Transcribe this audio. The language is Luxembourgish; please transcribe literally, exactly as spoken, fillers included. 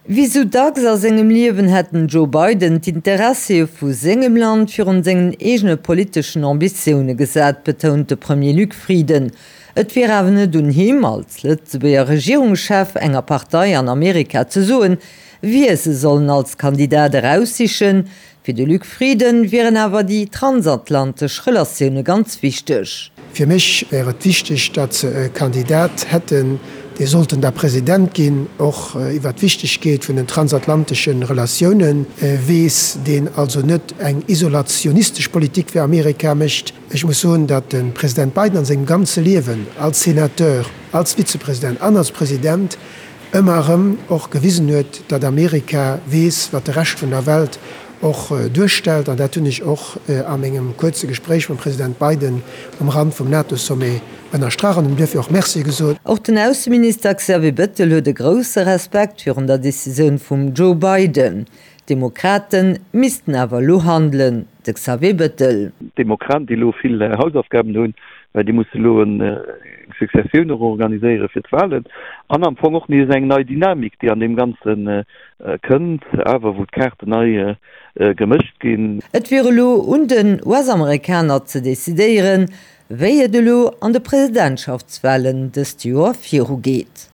Wéi sou dacks a sengem Liewen hätt den Joe Biden d'Interessie vu sengem Land virun sengen eegene politeschen Ambitioune gesat, betount de Premier Luc Frieden. Et wier awer net un him, als Lëtzebuerger Regierungschef enger Partei an Amerika ze soen, wie se sollen als Kandidat eraussichen. Fir de Luc Frieden wieren awer déi transatlantesch Relatioune ganz wichteg. Fir mech wär et wichteg, datt se e Kandidat hätten, dee sollt en da President ginn, och iwwert d'Wichtegkeet vun den transatlantesche Relatioune weess, deen also net eng isolationistesch Politik fir Amerika mécht. Ech muss soen, datt de President Biden an sengem ganze Liewen als Senateur, als Vizepresident an als President ëmmer erëm och gewisen huet, datt Amerika weess, wat de Rescht vun der Welt och duerstellt. An dat hunn ech och a mengem kuerze Gespréich mam President Biden um Rand vum NATO-Sommet ënnerstrach an him duerfir och Merci gesot. Och den Ausseminister Xavier Bettel huet e grousse Respekt virun der Decisioun vum Joe Biden. D'Demokrate missten awer elo handelen, de Xavier Bettel. D'Demokraten, déi elo vill Hausaufgaben hunn, well déi musse elo eng Successioun och organiséiere fir d'Wahlen an am Fong och nees eng nei Dynamik, déi an deem Ganze kënnt, awer wou d'Kaarten nei gemëscht ginn. Et wier elo un den U S-Amerikaner ze decidéieren, wéi et elo an de Presidentschaftswahlen dëst Joer virugeet.